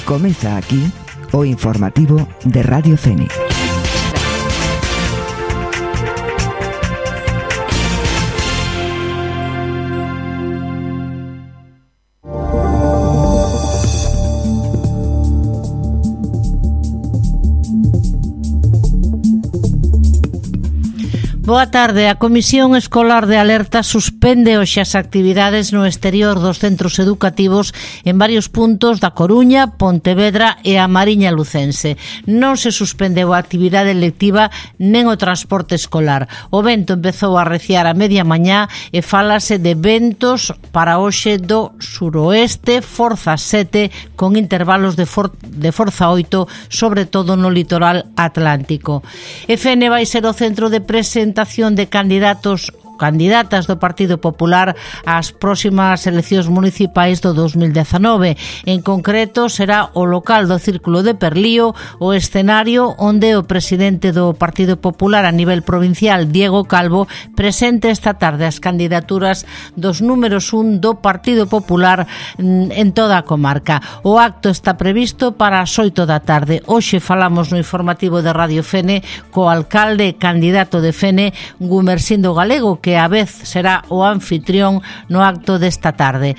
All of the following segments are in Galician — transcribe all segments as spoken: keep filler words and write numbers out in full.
Comeza aquí o informativo de Radio Fene. Boa tarde. A Comisión Escolar de Alerta suspende hoxe as actividades no exterior dos centros educativos en varios puntos da Coruña, Pontevedra e a Mariña Lucense. Non se suspendeu a actividade lectiva nen o transporte escolar. O vento empezou a arreciar a media mañá e fálase de ventos para hoxe do suroeste, forza sete, con intervalos de, for de forza oito, sobre todo no litoral atlántico. E Fene vai ser o centro de presentación de candidatos candidatas do Partido Popular ás próximas eleccións municipais do dos mil dezanove. En concreto, será o local do Círculo de Perlío o escenario onde o presidente do Partido Popular a nivel provincial, Diego Calvo, presente esta tarde as candidaturas dos números un do Partido Popular en toda a comarca. O acto está previsto para as oito da tarde. Hoxe falamos no informativo de Radio Fene co alcalde e candidato de Fene, Gumersindo Galego, que a vez será o anfitrión no acto desta tarde.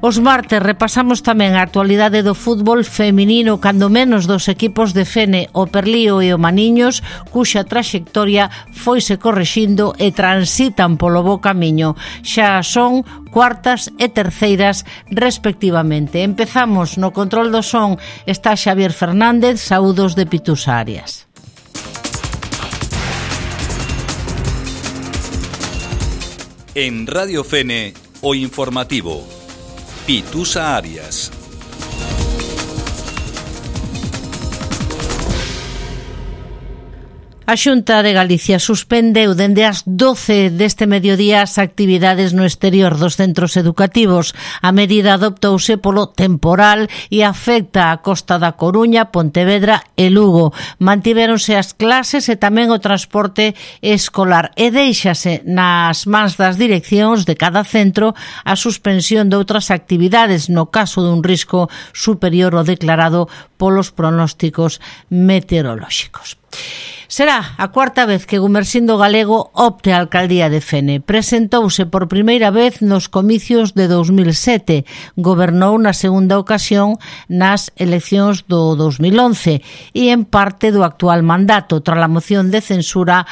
Os martes repasamos tamén a actualidade do fútbol feminino, cando menos dos equipos de Fene, o Perlío e o Maniños, cuxa traxectoria foise correxindo e transitan polo bo camiño. Xa son cuartas e terceiras respectivamente. Empezamos no control do son, está Xavier Fernández, saúdos de Pitusa Arias. En Radio Fene, o informativo, Pitusa Arias. A Xunta de Galicia suspendeu dende as doce deste mediodía as actividades no exterior dos centros educativos. A medida adoptouse polo temporal e afecta a Costa da Coruña, Pontevedra e Lugo. Mantivéronse as clases e tamén o transporte escolar e déixase nas mans das direccións de cada centro a suspensión de outras actividades no caso dun risco superior ao declarado polos pronósticos meteorolóxicos. Será a cuarta vez que Gumersindo Galego opte a alcaldía de Fene. Presentouse por primeira vez nos comicios de dos mil sete. Gobernou na segunda ocasión nas eleccións do dos mil once e en parte do actual mandato, tras a moción de censura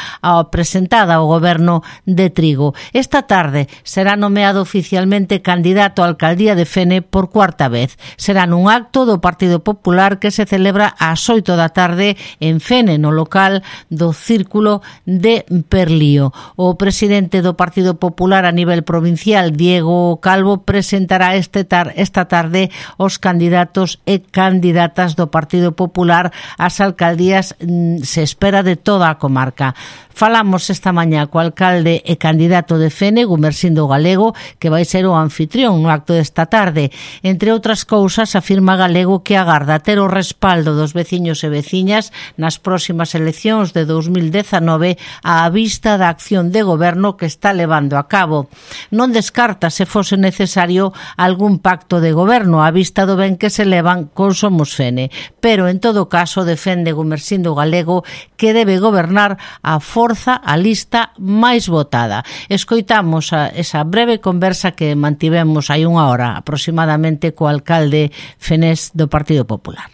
presentada ao goberno de Trigo. Esta tarde será nomeado oficialmente candidato á alcaldía de Fene por cuarta vez. Será nun acto do Partido Popular que se celebra ás oito da tarde en Fene, no local do Círculo de Perlío. O presidente do Partido Popular a nivel provincial, Diego Calvo, presentará este tar esta tarde os candidatos e candidatas do Partido Popular ás alcaldías, se espera, de toda a comarca. Falamos esta mañá co alcalde e candidato de Fene, Gumersindo Galego, que vai ser o anfitrión no acto desta tarde. Entre outras cousas, afirma Galego que agarda ter o respaldo dos veciños e veciñas nas próximas eleccións de dos mil dezanove á vista da acción de goberno que está levando a cabo. Non descarta, se fose necesario, algún pacto de goberno á vista do ben que se levan con Somos Fene, pero en todo caso defende Gumersindo Galego que debe gobernar a forza a lista máis votada. Escoitamos a esa breve conversa que mantivemos hai unha hora aproximadamente co alcalde fenés do Partido Popular.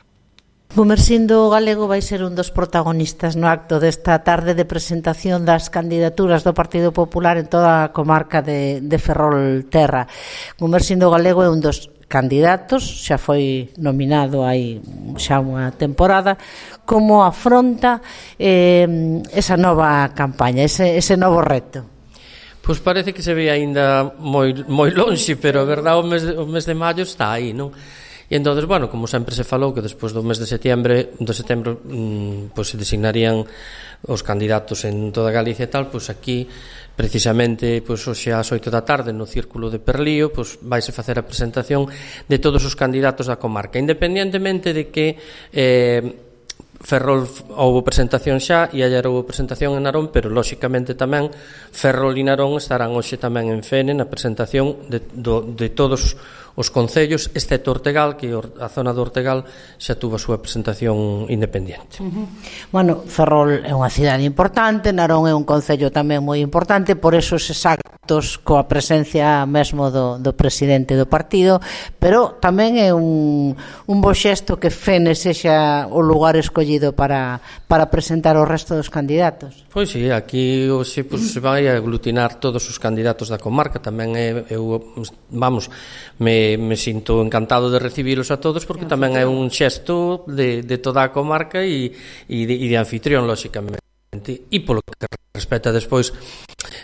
Gumersindo Galego vai ser un dos protagonistas no acto desta tarde de presentación das candidaturas do Partido Popular en toda a comarca de, de Ferrolterra. Gumersindo Galego é un dos candidatos, xa foi nominado hai xa unha temporada. Como afronta eh, esa nova campaña, ese, ese novo reto? Pois parece que se ve aínda moi, moi lonxe, pero a verdade o mes, o mes de maio está aí, non? E entón, bueno, como sempre se falou que despois do mes de setiembre, do setembro, mmm, pois se designarían os candidatos en toda Galicia e tal, pois aquí precisamente pois hoxe ás oito da tarde no Círculo de Perlío pois vaise facer a presentación de todos os candidatos da comarca, independentemente de que eh, Ferrol houve presentación xa e ayer houve presentación en Narón, pero lóxicamente tamén Ferrol e Narón estarán hoxe tamén en Fene na presentación de, do, de todos os concellos, excepto Ortegal, que a zona do Ortegal xa tuvo a súa presentación independente. Uh-huh. Bueno, Ferrol é unha cidade importante, Narón é un concello tamén moi importante, por eso eses actos coa presencia mesmo do, do presidente do partido, pero tamén é un, un bo xesto que Fene sexa o lugar escollido para, para presentar o resto dos candidatos. Pois sí, aquí hoxe pues, se vai a aglutinar todos os candidatos da comarca, tamén é, eu, vamos, me, me sinto encantado de recibilos a todos, porque tamén é un xesto de, de toda a comarca e, e, de, e de anfitrión, lóxicamente. E polo que respecta despois,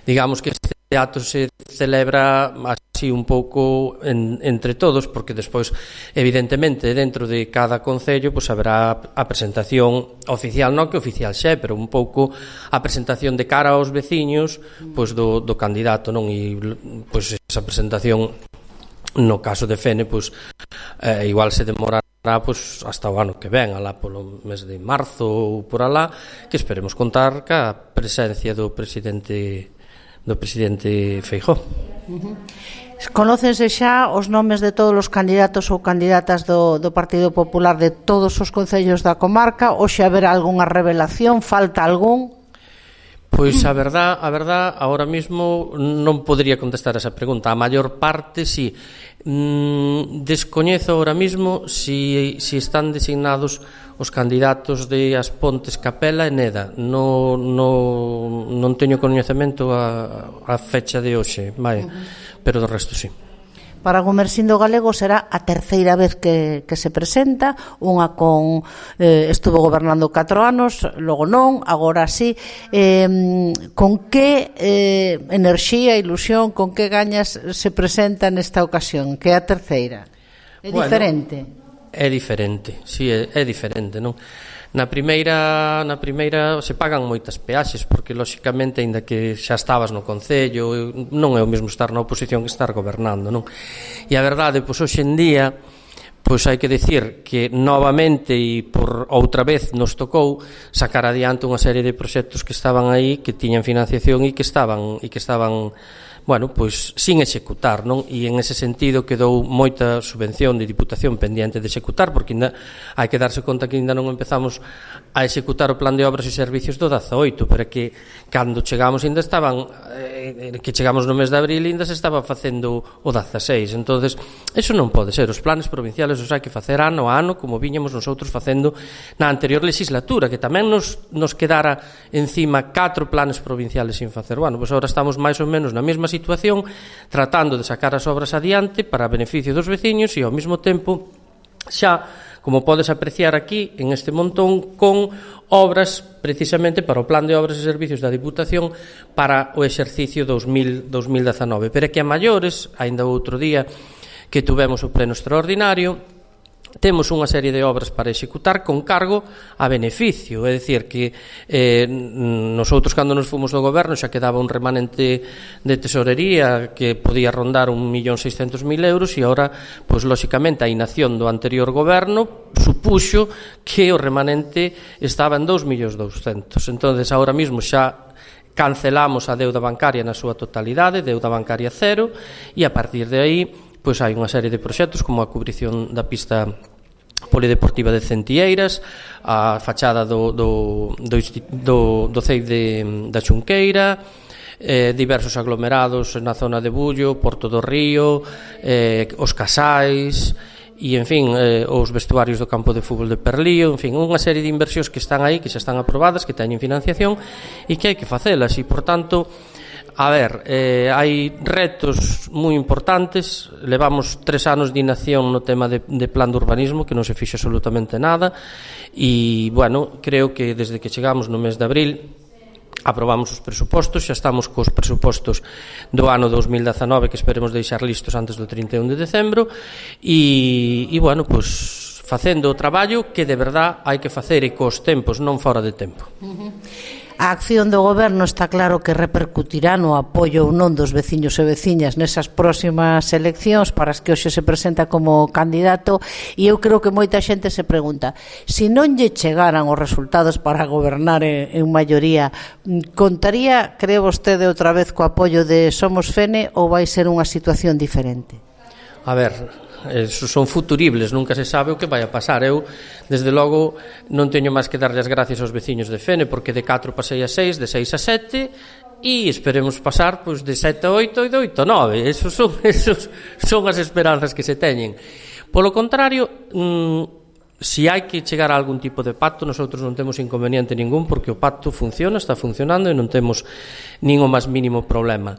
digamos que este acto se celebra así un pouco en, entre todos, porque despois evidentemente dentro de cada concello pues, haberá a presentación oficial, non que oficial xe, pero un pouco a presentación de cara aos veciños pues, do, do candidato, non? E pues, esa presentación no caso de Fene pues, eh, igual se demorará pues, hasta o ano que ven, alá polo mes de marzo ou por alá, que esperemos contar ca presencia do presidente do presidente Feijóo. Uh-huh. Conócense xa os nomes de todos os candidatos ou candidatas do, do Partido Popular de todos os concellos da comarca, ou xa haberá algunha revelación, falta algún? Pois a verdad, a verdad, agora mismo non podría contestar esa pregunta. A maior parte, si. Mm, descoñezo agora mismo si, si están designados os candidatos de As Pontes, Capela e Neda. No, no, non teño coñecemento a, a fecha de hoxe, vai, uh-huh. Pero do resto, si. Para Gumersindo Galego será a terceira vez que, que se presenta, unha con eh, estuvo gobernando catro anos, logo non, agora sí. Eh, con que eh, enerxía, ilusión, con que gañas se presenta nesta ocasión, que é a terceira? É bueno, diferente? É diferente, si, sí, é, é diferente, non? Na primeira, na primeira se pagan moitas peaxes, porque lóxicamente aínda que xa estabas no concello, non é o mesmo estar na oposición que estar gobernando, non? E a verdade, pois hoxe en día, pois hai que decir que novamente e por outra vez nos tocou sacar adiante unha serie de proxectos que estaban aí, que tiñan financiación e que estaban e que estaban bueno, pois sin executar, non? E en ese sentido quedou moita subvención de Diputación pendiente de executar, porque ainda hai que darse conta que ainda non empezamos a executar o plan de obras e servicios do dezaoito, pero que cando chegamos ainda estaban eh, que chegamos no mes de abril ainda se estaba facendo o dezaseis. Entonces, eso non pode ser. Os planes provinciales os hai que facer ano a ano, como viñamos nosotros facendo na anterior legislatura, que tamén nos, nos quedara encima catro planes provinciales sin facer. Bueno, pois agora estamos máis ou menos na mesma situación, tratando de sacar as obras adiante para beneficio dos veciños e ao mesmo tempo xa, como podes apreciar aquí en este montón, con obras precisamente para o plan de obras e servicios da Diputación para o exercicio dos mil dezanove, pero que a maiores, aínda outro día que tuvemos o pleno extraordinario, temos unha serie de obras para executar con cargo a beneficio, é dicir que eh, nosotros cando nos fomos do goberno xa quedaba un remanente de tesorería que podía rondar un millón seiscentos mil euros e agora, pois lóxicamente a inacción do anterior goberno supuxo que o remanente estaba en dous millóns douscentos. Entonces agora mismo xa cancelamos a deuda bancaria na súa totalidade, deuda bancaria cero, e a partir de aí pois hai unha serie de proxectos como a cubrición da pista polideportiva de Centieiras, a fachada do, do, do, do, do C E I de, da Xunqueira, eh, diversos aglomerados na zona de Bullo, Porto do Río, eh, os casais e, en fin, eh, os vestuarios do campo de fútbol de Perlío, en fin, unha serie de inversións que están aí, que xa están aprobadas, que teñen financiación e que hai que facelas e, por tanto, a ver, eh, hai retos moi importantes. Levamos tres anos de inacción no tema de, de plan de urbanismo, que non se fixe absolutamente nada, e, bueno, creo que desde que chegamos no mes de abril aprobamos os presupostos, xa estamos cos presupostos do ano dos mil dezanove que esperemos deixar listos antes do trinta e un de decembro e, e bueno, pois facendo o traballo que de verdad hai que facer e cos tempos, non fora de tempo. Uh-huh. A acción do goberno está claro que repercutirá no apoio ou non dos veciños e veciñas nesas próximas eleccións para as que hoxe se presenta como candidato, e eu creo que moita xente se pregunta se non lle chegaran os resultados para gobernar en, en maioría, contaría, cree vostede, outra vez co apoio de Somos Fene ou vai ser unha situación diferente? a ver, esos son futuribles, nunca se sabe o que vai a pasar. Eu, desde logo, non teño máis que darlle as gracias aos veciños de Fene, porque de catro pasei a seis, de seis a sete, e esperemos pasar pois, de sete a oito e de oito a nove. Esos son, esos son as esperanzas que se teñen. Polo contrario, mmm, si hai que chegar a algún tipo de pacto, nosotros non temos inconveniente ningún, porque o pacto funciona, está funcionando e non temos nin o máis mínimo problema.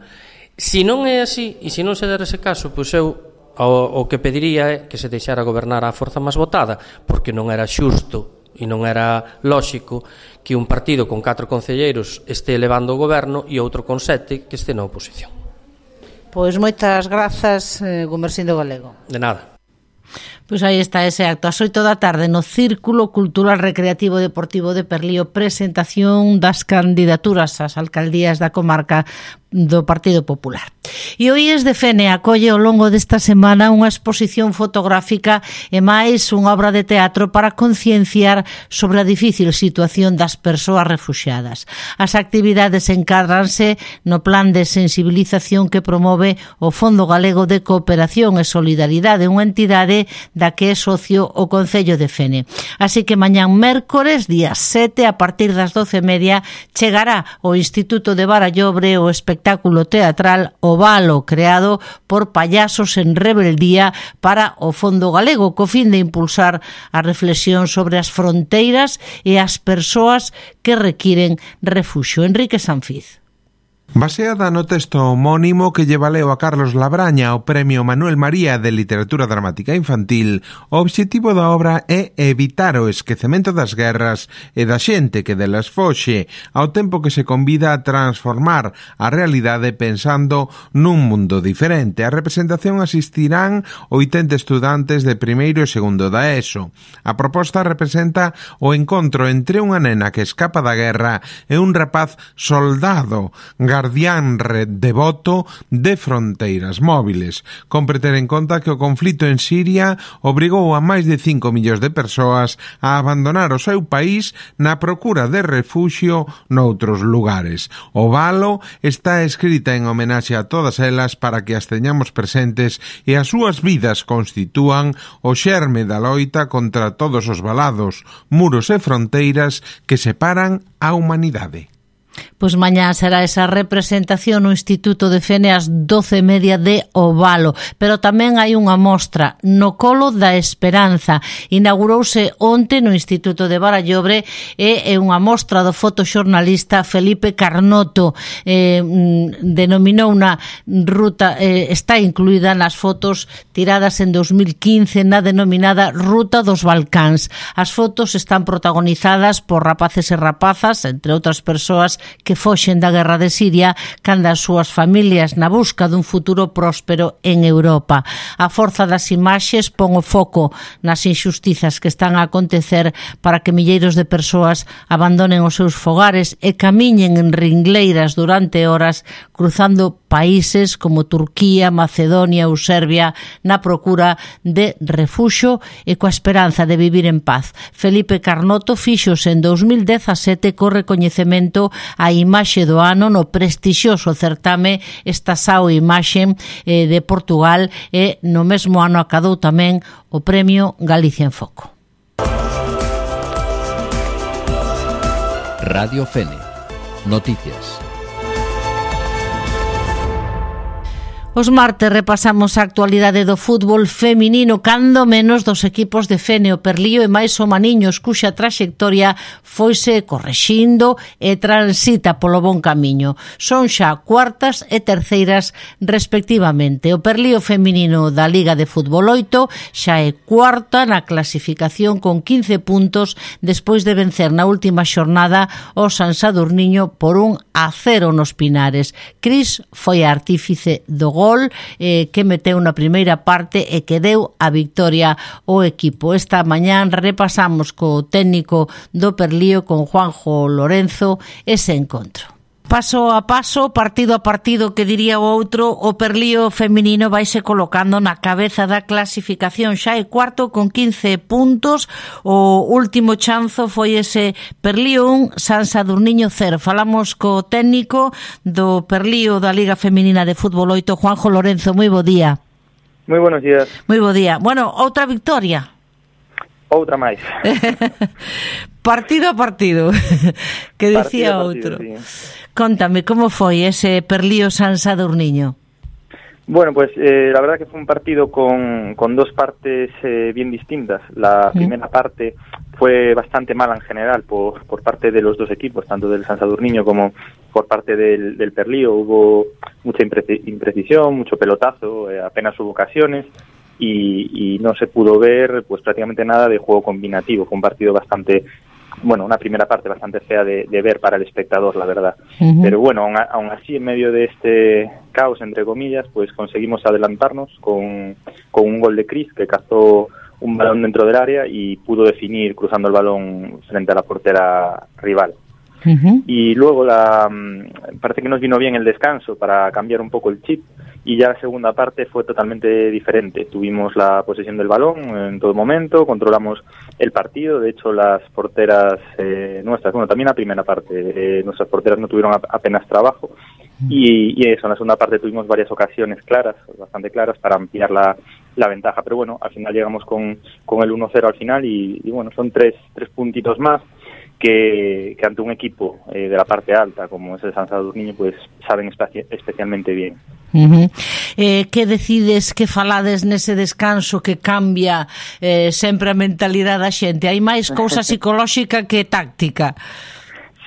Si non é así, e se non se der ese caso, pois eu O, o que pediría é que se deixara gobernar a forza máis votada, porque non era xusto e non era lóxico que un partido con catro concelleiros este levando o goberno e outro con sete que este na oposición. Pois moitas grazas, eh, Gumersindo Galego. De nada. Pois aí está ese acto, ás oito da tarde no Círculo Cultural Recreativo Deportivo de Perlío, presentación das candidaturas ás alcaldías da comarca do Partido Popular. E o I E S de Fene acolle ao longo desta semana unha exposición fotográfica e máis unha obra de teatro para concienciar sobre a difícil situación das persoas refuxiadas. As actividades encádranse no plan de sensibilización que promove o Fondo Galego de Cooperación e Solidaridade, unha entidade da que é socio o Concello de Fene. Así que mañán mércores, día sete, a partir das doce e media, chegará ao Instituto de Barallobre o espectáculo teatral O Valo, creado por payasos en rebeldía para o Fondo Galego, co fin de impulsar a reflexión sobre as fronteiras e as persoas que requiren refuxio. Enrique Sanfiz. Baseada no texto homónimo que lle valeu a Carlos Labraña o Premio Manuel María de Literatura Dramática Infantil, o obxectivo da obra é evitar o esquecemento das guerras e da xente que delas foxe, ao tempo que se convida a transformar a realidade pensando nun mundo diferente. A representación asistirán oitenta estudantes de primeiro e segundo da ESO. A proposta representa o encontro entre unha nena que escapa da guerra e un rapaz soldado, guardián devoto de fronteiras móviles. Compre ter en conta que o conflito en Siria obrigou a máis de cinco millóns de persoas a abandonar o seu país na procura de refuxio noutros lugares. O Valo está escrita en homenaxe a todas elas para que as teñamos presentes e as súas vidas constitúan o xerme da loita contra todos os valados, muros e fronteiras que separan a humanidade. Pois mañá será esa representación no Instituto de Fene ás doce e media de O Valo, pero tamén hai unha mostra no Colo da Esperanza. Inaugurouse onte no Instituto de Barallobre e é unha mostra do fotoxornalista Felipe Carnoto. Eh, denominou unha ruta, eh, está incluída nas fotos tiradas en dos mil quince na denominada Ruta dos Balcáns. As fotos están protagonizadas por rapaces e rapazas, entre outras persoas que foxen da guerra de Siria cando as súas familias na busca dun futuro próspero en Europa. A forza das imaxes pon o foco nas injustizas que están a acontecer para que milleiros de persoas abandonen os seus fogares e camiñen en ringleiras durante horas cruzando países como Turquía, Macedonia ou Serbia na procura de refuxo e coa esperanza de vivir en paz. Felipe Carnoto fixose en dos mil dezasete co recoñecemento a imaxe do ano no prestixioso certame Estação Imaxe eh, de Portugal e no mesmo ano acadou tamén o Premio Galicia en Foco. Radio Fene. Noticias. Os martes repasamos a actualidade do fútbol feminino, cando menos dos equipos de Fene, o Perlío e máis o Maniños, cuxa traxectoria foise correxindo e transita polo bon camiño. Son xa cuartas e terceiras respectivamente. O Perlío feminino da Liga de Fútbol oito xa é cuarta na clasificación con quince puntos despois de vencer na última xornada o San Sadurniño por un a cero nos Pinares. Cris foi a artífice do gol Eh, que meteu na primeira parte e que deu a victoria ao equipo. Esta mañán repasamos co técnico do Perlío, con Juanjo Lorenzo, ese encontro. Paso a paso, partido a partido, que diría o outro, o Perlío feminino vaise colocando na cabeza da clasificación. Xa é cuarto con quince puntos. O último chanzo foi ese Perlío un, San Sadurniño cero. Falamos co técnico do Perlío da Liga Feminina de Fútbol oito, Juanjo Lorenzo. Moi bo día. Moi buenos días. Moi bo día. Bueno, outra victoria. Outra máis. Partido a partido, que decía outro. Sí. Contame, como foi ese Perlío San Sadurniño? Bueno, pues eh, la verdad que fue un partido con, con dos partes eh, bien distintas. La mm. primera parte fue bastante mala en general por, por parte de los dos equipos, tanto del San Sadurniño como por parte del, del Perlío. Hubo mucha impreci- imprecisión, mucho pelotazo, eh, apenas hubo ocasiones. Y, y no se pudo ver pues prácticamente nada de juego combinativo. Fue un partido bastante, bueno, una primera parte bastante fea de, de ver para el espectador, la verdad. Uh-huh. Pero bueno, aún, aún así, en medio de este caos, entre comillas, pues conseguimos adelantarnos con, con un gol de Cris, que cazó un balón dentro del área y pudo definir cruzando el balón frente a la portera rival. Uh-huh. Y luego la parece que nos vino bien el descanso para cambiar un poco el chip, y ya la segunda parte fue totalmente diferente. Tuvimos la posesión del balón en todo momento, controlamos el partido. De hecho, las porteras eh, nuestras, bueno, también la primera parte, eh, nuestras porteras no tuvieron apenas trabajo, y, y eso, en la segunda parte tuvimos varias ocasiones claras, bastante claras, para ampliar la, la ventaja. Pero bueno, al final llegamos con, con el uno cero al final, y, y bueno, son tres, tres puntitos más que, que ante un equipo eh, de la parte alta como es el San Sadurniño, pues saben espaci- especialmente bien. Uh-huh. Eh, que decides, que falades nese descanso que cambia eh, sempre a mentalidade da xente? Hai máis cousa psicolóxica que táctica?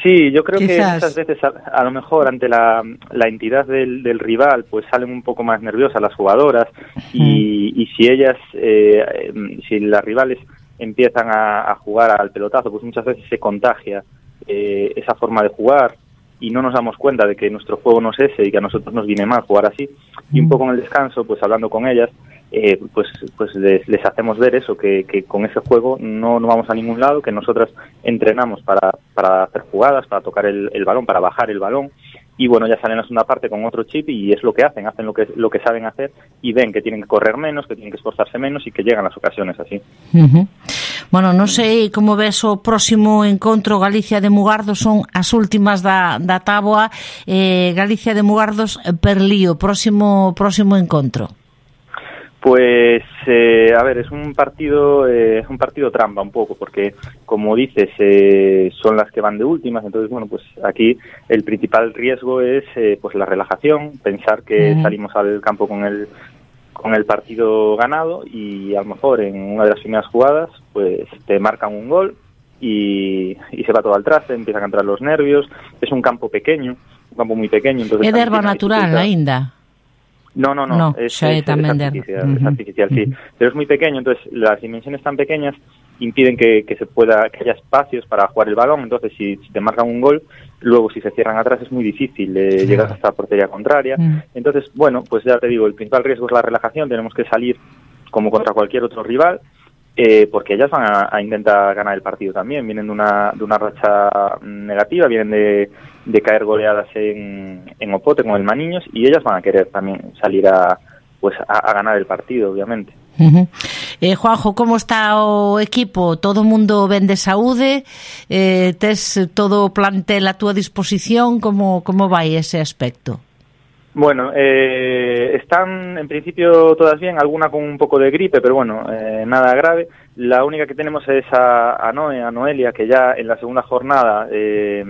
Sí, yo creo Quizás. que muchas veces a, a lo mejor ante la, la entidad del, del rival pues salen un poco más nerviosas las jugadoras, y, y si ellas, eh, si las rivales empiezan a, a jugar al pelotazo, pues muchas veces se contagia eh, esa forma de jugar, y no nos damos cuenta de que nuestro juego no es ese y que a nosotros nos viene mal jugar así. Y un poco en el descanso, pues hablando con ellas, eh, pues pues les, les hacemos ver eso, que, que con ese juego no, no vamos a ningún lado, que nosotras entrenamos para, para hacer jugadas, para tocar el, el balón, para bajar el balón. Y bueno, ya salen en la segunda parte con otro chip, y es lo que hacen, hacen lo que lo que saben hacer, y ven que tienen que correr menos, que tienen que esforzarse menos, y que llegan las ocasiones así. Uh-huh. Bueno, non sei como ves o próximo encontro Galicia de Mugardos, son as últimas da, da táboa, eh, Galicia de Mugardos Perlío, próximo próximo encontro. Pues, eh, a ver, es un partido eh, un partido trampa un poco, porque, como dices, eh, son las que van de últimas. Entonces, bueno, pues aquí el principal riesgo es eh, pues la relajación, pensar que uh-huh. salimos al campo con el con el partido ganado, y a lo mejor en una de las primeras jugadas pues te marcan un gol y, y se va todo al traste, empiezan a entrar los nervios. Es un campo pequeño, un campo muy pequeño. Entonces é de herba natural aínda? No, no, no, no es, xa é es, tamén es artificial, uh-huh. es artificial, sí. Uh-huh. Pero es muy pequeño, entonces las dimensiones tan pequeñas impiden que, que se pueda, que haya espacios para jugar el balón. Entonces si, si te marcan un gol, luego si se cierran atrás es muy difícil eh, llegar hasta la portería contraria. Uh-huh. Entonces, bueno, pues ya te digo, el principal riesgo es la relajación. Tenemos que salir como contra cualquier otro rival, eh, porque ellas van a, a intentar ganar el partido también. Vienen de una, de una racha negativa, vienen de, de caer goleadas en, en Opote con el Maniños, y ellas van a querer también salir a, pues a, a ganar el partido, obviamente. Uh-huh. Eh, Juanjo, como está o equipo? Todo o mundo ven de saúde? Eh, tes todo o plantel a túa disposición? Como, como vai ese aspecto? Bueno, eh, están en principio todas bien, alguna con un poco de gripe, pero bueno, eh, nada grave. La única que tenemos es a, a Noe, a Noelia, que ya en la segunda jornada eh,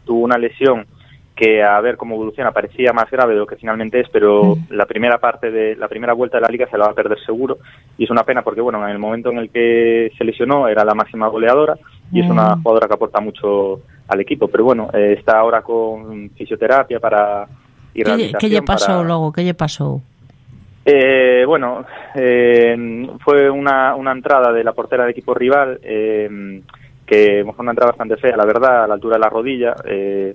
tuvo una lesión que, a ver cómo evoluciona, parecía más grave de lo que finalmente es, pero mm. la primera parte de la primera vuelta de la liga se la va a perder seguro, y es una pena porque, bueno, en el momento en el que se lesionó era la máxima goleadora, y mm. es una jugadora que aporta mucho al equipo, pero bueno, eh, está ahora con fisioterapia para y rehabilitación. ¿Qué lle pasou para... logo? Que lle pasou? Eh, bueno, eh, fue una, una entrada de la portera del equipo rival, eh, que fue una entrada bastante fea, la verdad, a la altura de la rodilla. Eh,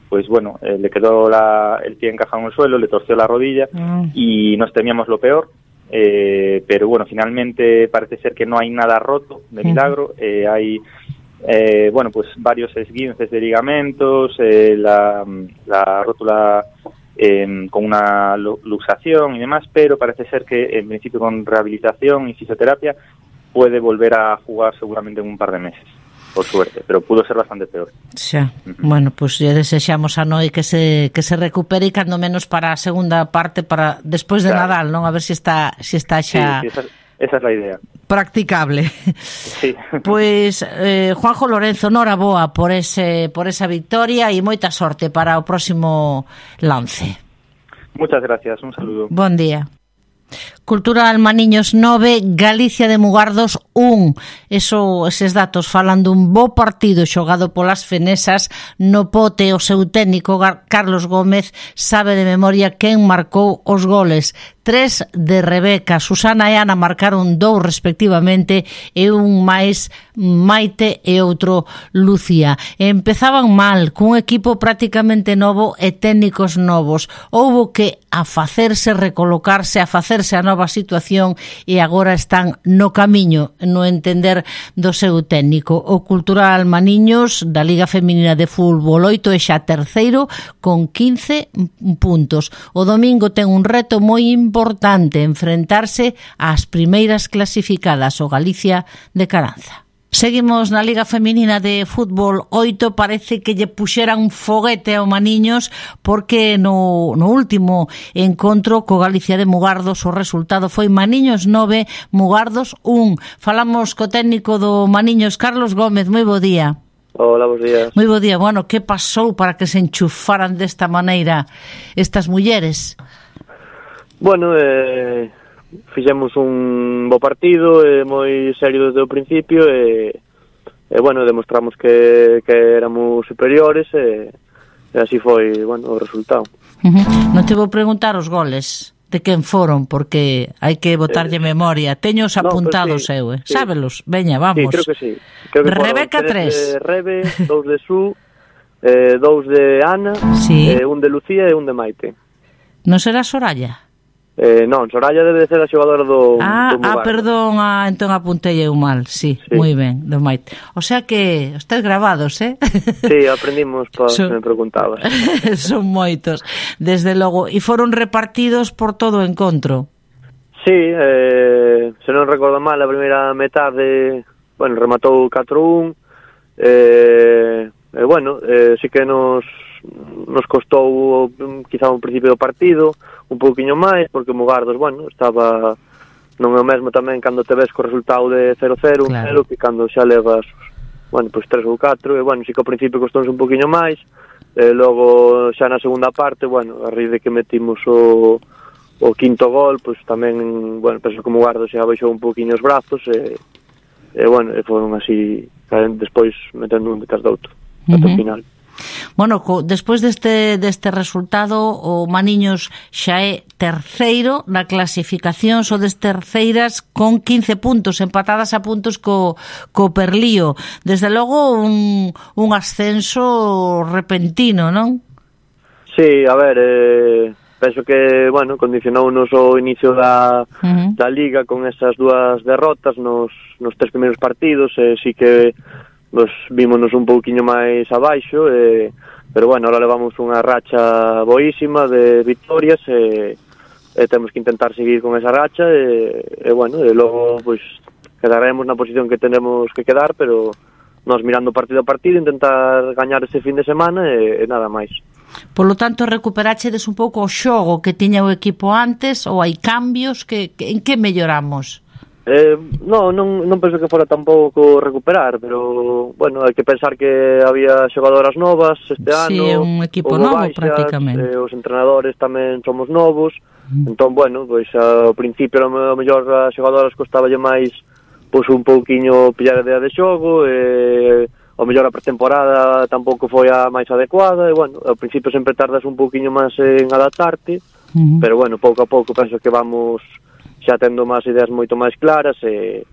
pues bueno, eh, le quedó la, el pie encajado en el suelo, le torció la rodilla, mm. y nos temíamos lo peor, eh, pero bueno, finalmente parece ser que no hay nada roto, de milagro. Mm. Eh, hay, eh, bueno, pues varios esguinces de ligamentos, eh, la, la rótula eh, con una luxación y demás, pero parece ser que en principio con rehabilitación y fisioterapia puede volver a jugar seguramente en un par de meses. por suerte, pero pudo ser bastante peor. Xa, uh-huh. Bueno, pois pues, lle desexamos a Noi que se que se recupere e cando menos para a segunda parte, para despois de claro. Nadal, non? A ver se si está se si está xa sí, sí, esa, esa é a idea. Practicable. Sí. Pois eh, Juanjo Lorenzo, noraboa por ese por esa victoria e moita sorte para o próximo lance. Muchas gracias, un saludo. Bon día. Cultural Maniños nove, Galicia de Mugardos un. Eso, eses datos falan dun bo partido xogado polas fenesas. No pote, o seu técnico Carlos Gómez sabe de memoria quen marcou os goles. Tres de Rebeca, Susana e Ana marcaron dous respectivamente e un máis Maite e outro Lucía. Empezaban mal, cun equipo prácticamente novo e técnicos novos. Houbo que afacerse, recolocarse, afacerse a nova situación e agora están no camiño, no entender do seu técnico. O Cultural Maniños da Liga Feminina de Fútbol oito é xa terceiro con quince puntos. O domingo ten un reto moi importante, enfrentarse ás primeiras clasificadas, o Galicia de Caranza. Seguimos na Liga Feminina de Fútbol oito, parece que lle puxeran un foguete ao Maniños porque no, no último encontro co Galicia de Mugardos o resultado foi Maniños nove, Mugardos un. Falamos co técnico do Maniños, Carlos Gómez, moi bo día. Hola, bons días. Moi bo día. Bueno, que pasou para que se enchufaran desta maneira estas mulleres? Bueno, eh... fixemos un bo partido, eh, moi serio desde o principio e, e bueno, demostramos que, que éramos superiores e, e así foi, bueno, o resultado. Uh-huh. Non te vou preguntar os goles de quen foron, porque hai que botarlle eh, memoria. Teños apuntados, no, pues sí, eu, eh? Sí. Sábelos? Veña, vamos. Sí, creo que sí. Creo que Rebeca tres. De Rebe, dous de Su, eh, dous de Ana, sí. eh, un de Lucía e un de Maite. Non será Soraya? Eh, non, Soraya debe de ser a xogadora do, ah, do Ah, perdón, ah, entón apuntei eu mal, sí, sí, moi ben, do Maite. O sea que estáis grabados, eh? Sí, aprendimos para Son... se me preguntabas. Son moitos, desde logo. E foron repartidos por todo o encontro? Sí, eh, se non recordo mal, a primeira metade, bueno, rematou catro un, eh, eh, bueno, eh, sí que nos, nos costou quizá un principio do partido, un pouquiño máis, porque Mugardos, bueno, estaba non é o mesmo tamén cando te ves co resultado de cero cero, un cero, que cando xa levas, bueno, pois tres ou catro, e bueno, si que ao principio costounos un pouquiño máis, e logo xa na segunda parte, bueno, a raíz de que metimos o, o quinto gol, pois tamén, bueno, penso que Mugardos xa baixou un pouquiño os brazos, e, e bueno, e foron así, despois metendo un detrás do outro, uh-huh. Até o final. Bueno, co, despois deste, deste resultado o Maniños xa é terceiro na clasificación, sodes terceiras con quince puntos, empatadas a puntos co, co Perlío. Desde logo un, un ascenso repentino, non? Sí, a ver, eh, penso que, bueno, condicionounos o inicio da, uh-huh. da Liga con esas dúas derrotas nos, nos tres primeiros partidos, e eh, sí que nos vímonos un pouquiño máis abaixo, eh, pero bueno, ahora levamos unha racha boísima de victorias e, e temos que intentar seguir con esa racha e, e bueno, e logo pois quedaremos na posición que tenemos que quedar, pero nos mirando partido a partido, intentar gañar ese fin de semana e, e nada máis. Por lo tanto, recuperachedes un pouco o xogo que tiña o equipo antes, ou hai cambios? Que, que, en que melloramos? Eh, no, non, non penso que fora tampouco recuperar, pero, bueno, hai que pensar que había xogadoras novas este ano. Sí, é un equipo novo baixas, prácticamente. Eh, os entrenadores tamén somos novos, mm. entón, bueno, pois ao principio a mellor as xogadoras costaballe máis pois un pouquiño pillar a idea de xogo, e ao mellor a pretemporada tampouco foi a máis adecuada, e, bueno, ao principio sempre tardas un pouquiño máis en adaptarte, mm. pero, bueno, pouco a pouco penso que vamos xa tendo máis ideas moito máis claras e,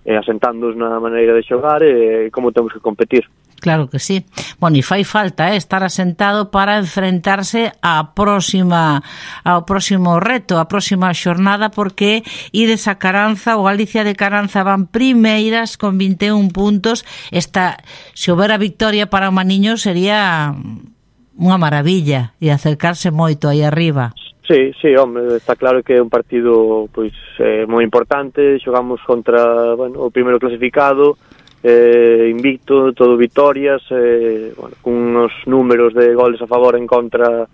e asentándonos na maneira de xogar e como temos que competir. Claro que sí. Bueno, e fai falta eh, estar asentado para enfrentarse á próxima ao próximo reto, á próxima xornada, porque ides a Caranza, o Galicia de Caranza van primeiras con vinte e un puntos. Esta, se houbera victoria para o Maniños, sería unha maravilla e acercarse moito aí arriba. Sí, sí, hombre, está claro que é un partido pois eh, moi importante, xogamos contra, bueno, o primeiro clasificado eh, invicto, todo vitorias, eh, bueno, con unos números de goles a favor en contra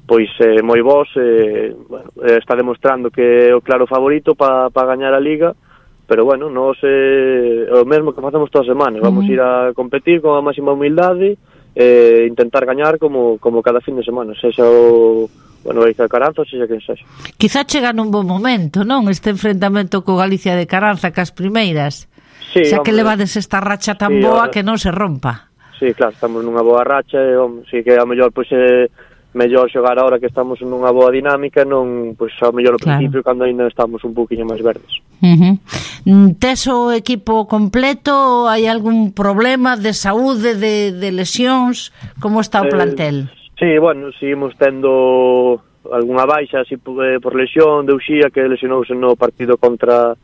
pois eh, moi bons, eh, bueno, eh, está demostrando que é o claro favorito para pa gañar a Liga, pero bueno, nos é eh, o mesmo que facemos todas as semanas, vamos uh-huh. ir a competir con a máxima humildade, eh, intentar gañar como, como cada fin de semana, sexa o bueno, Galicia de Caranza, sexa quen sexa. Quizá chega nun bon momento, non? Este enfrentamento co Galicia de Caranza, cas primeiras. Sí, xa hombre, que levades esta racha tan sí, boa ahora, que non se rompa. Sí, claro, estamos nunha boa racha, e, hombre, sí que a mellor, pois, é mellor xogar ahora que estamos nunha boa dinámica, non, pois, a mellor ao claro. principio, cando ainda estamos un poquinho máis verdes. Uh-huh. Tes o equipo completo? Hai algún problema de saúde, de, de lesións? Como está o plantel? Eh, Sí, bueno, seguimos tendo algunha baixa así por, eh, por lesión de Uxía, que lesionouse no partido contra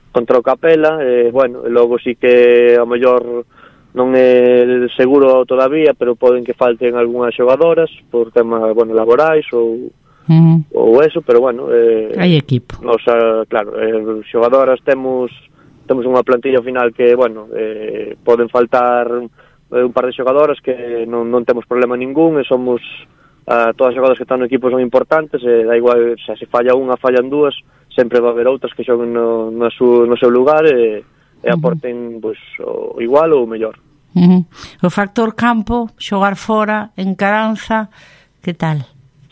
contra o Capela, e, eh, bueno, e logo sí que a mellor non é seguro todavía, pero poden que falten algunhas xogadoras por temas, bueno, laborais ou uh-huh. ou eso, pero bueno, eh, hai equipo. Nos, claro, eh, xogadoras temos temos unha plantilla final que, bueno, eh, poden faltar un par de xogadoras que non, non temos problema ningún, e somos uh, todas as xogadoras que están no equipo son importantes, e da igual, xa se falla unha, fallan dúas, sempre va haber outras que xoguen no, no, su, no seu lugar e, e aporten pois, o igual ou o mellor. Uh-huh. O factor campo, xogar fora, en Caranza, que tal?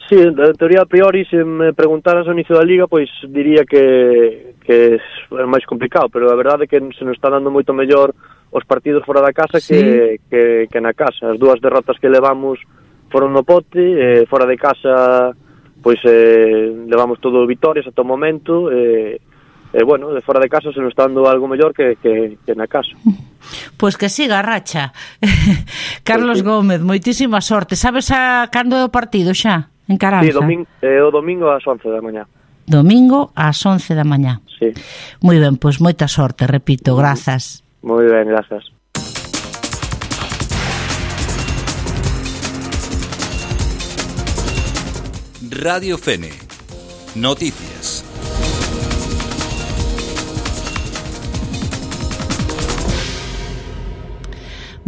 Sí, en teoría a priori, se me preguntaras ao inicio da Liga, pois diría que, que é máis complicado, pero a verdade é que se nos está dando moito mellor os partidos fora da casa sí. que, que, que na casa. As dúas derrotas que levamos foron no pote, eh, fora de casa pois eh, levamos todo vitorias ata o momento, e eh, eh, bueno, de fora de casa se nos está dando algo mellor que, que, que na casa. Pois que siga a racha. Carlos pues sí. Gómez, moitísima sorte. Sabes a cando é o partido xa? En Caranza? Sí, domingo, eh, o domingo ás once da mañá. Domingo ás once da mañá. Sí. Moi ben, pois moita sorte, repito, grazas. Moi ben, grazas. Radio Fene. Noticias.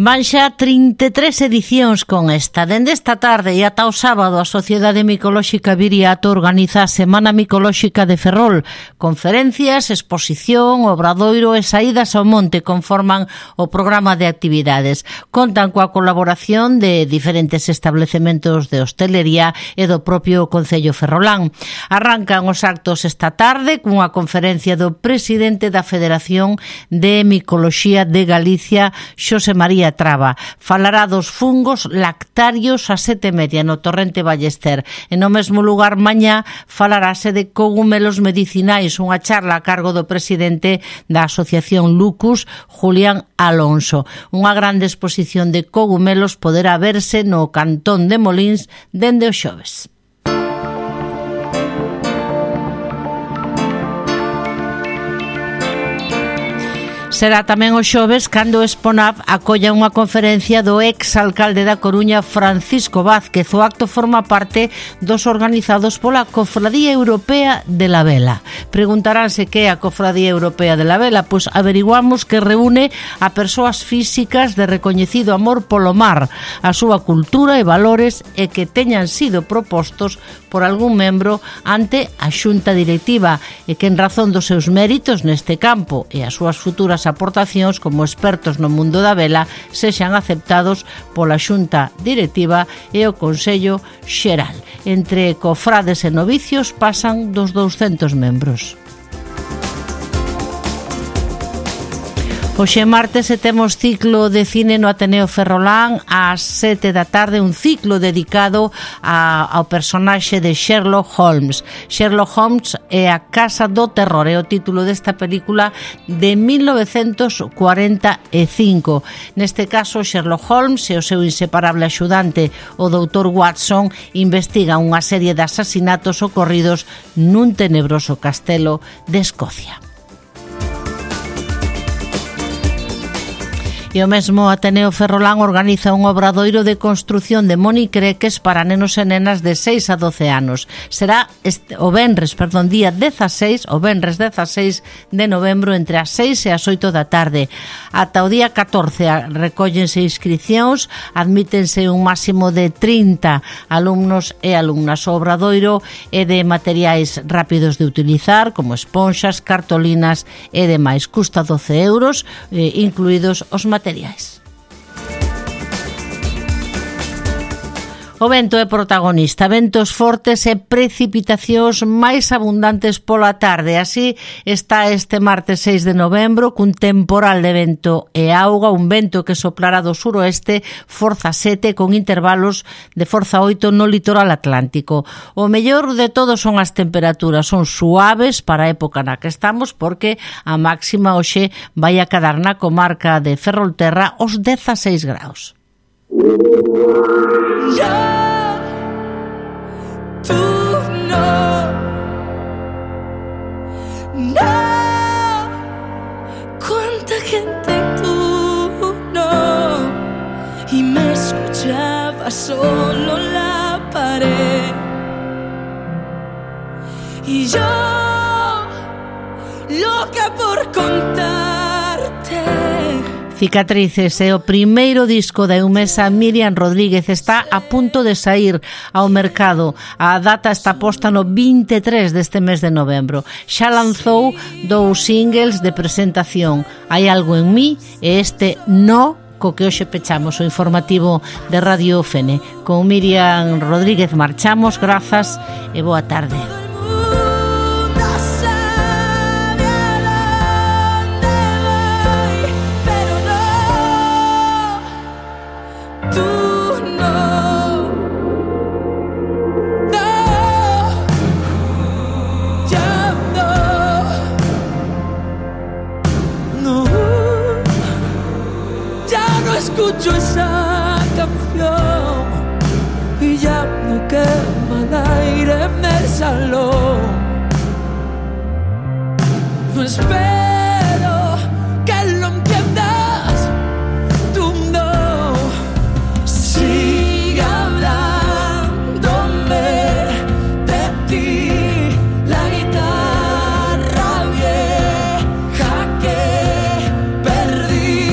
Van xa trinta e tres edicións con esta. Dende esta tarde e ata o sábado a Sociedade Micolóxica Viriato organiza a Semana Micolóxica de Ferrol. Conferencias, exposición, obradoiro e saídas ao monte conforman o programa de actividades. Contan coa colaboración de diferentes establecementos de hostelería e do propio Concello ferrolán. Arrancan os actos esta tarde cunha conferencia do presidente da Federación de Micoloxía de Galicia, Xosé María Traba. Falará dos fungos lactarios a sete e media no Torrente Ballester. E no mesmo lugar mañá falarase de cogumelos medicinais, unha charla a cargo do presidente da Asociación Lucus, Julián Alonso. Unha grande exposición de cogumelos poderá verse no Cantón de Molins dende o xoves. Será tamén o xoves cando Exponav acolla unha conferencia do ex-alcalde da Coruña, Francisco Vázquez. O acto forma parte dos organizados pola Cofradía Europea de la Vela. Preguntaránse que é a Cofradía Europea de la Vela? Pois averiguamos que reúne a persoas físicas de recoñecido amor polo mar, a súa cultura e valores, e que teñan sido propostos por algún membro ante a xunta directiva, e que en razón dos seus méritos neste campo e as súas futuras aportacións como expertos no mundo da vela sexan aceptados pola xunta directiva e o Consello Xeral. Entre cofrades e novicios pasan dos douscentos membros. Hoxe martes e temos ciclo de cine no Ateneo Ferrolán ás sete da tarde, un ciclo dedicado a, ao personaxe de Sherlock Holmes. Sherlock Holmes é a Casa do Terror, é o título desta película de mil novecentos cuarenta e cinco. Neste caso, Sherlock Holmes e o seu inseparable axudante, o doutor Watson, investigan unha serie de asasinatos ocorridos nun tenebroso castelo de Escocia. E o mesmo Ateneo Ferrolán organiza un obradoiro de construción de monicreques para nenos e nenas de seis a doce anos. Será este, o venres, perdón, día dezaseis, o venres dezaseis de novembro entre as seis e as oito da tarde. Ata o día catorce recóllense inscricións, admítense un máximo de trinta alumnos e alumnas. O obradoiro é de materiais rápidos de utilizar, como esponxas, cartolinas e demais. Custa doce euros, eh, incluídos os materiais. O vento é protagonista, ventos fortes e precipitacións máis abundantes pola tarde. Así está este martes seis de novembro, cun temporal de vento e auga, un vento que soplará do suroeste, forza sete, con intervalos de forza oito no litoral atlántico. O mellor de todo son as temperaturas, son suaves para a época na que estamos, porque a máxima hoxe vai a cadar na comarca de Ferrolterra os dezaseis graus. Ya, tú no, no, cuánta gente tú no, y me escuchaba solo la pared, y yo loca por contarte. Cicatrices é o primeiro disco da eumesa Miriam Rodríguez, está a punto de sair ao mercado. A data está posta no vinte e tres deste mes de novembro. Xa lanzou dous singles de presentación, Hai algo en mí e este No, co que hoxe pechamos o informativo de Radio Fene. Con Miriam Rodríguez marchamos, grazas e boa tarde. Escucho esa canción y ya no quema el aire en el salón. No espero que lo entiendas, tú no. Sigue hablándome de ti, la guitarra vieja que perdí.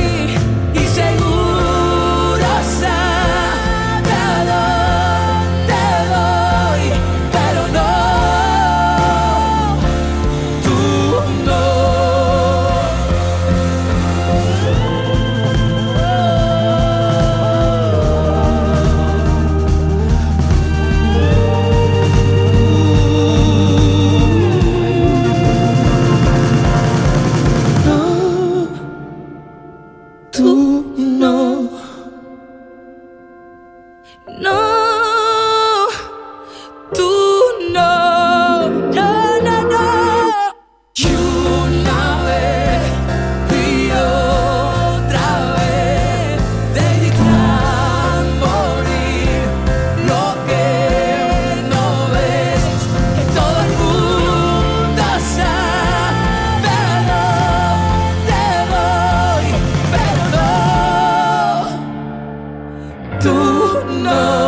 Tú no.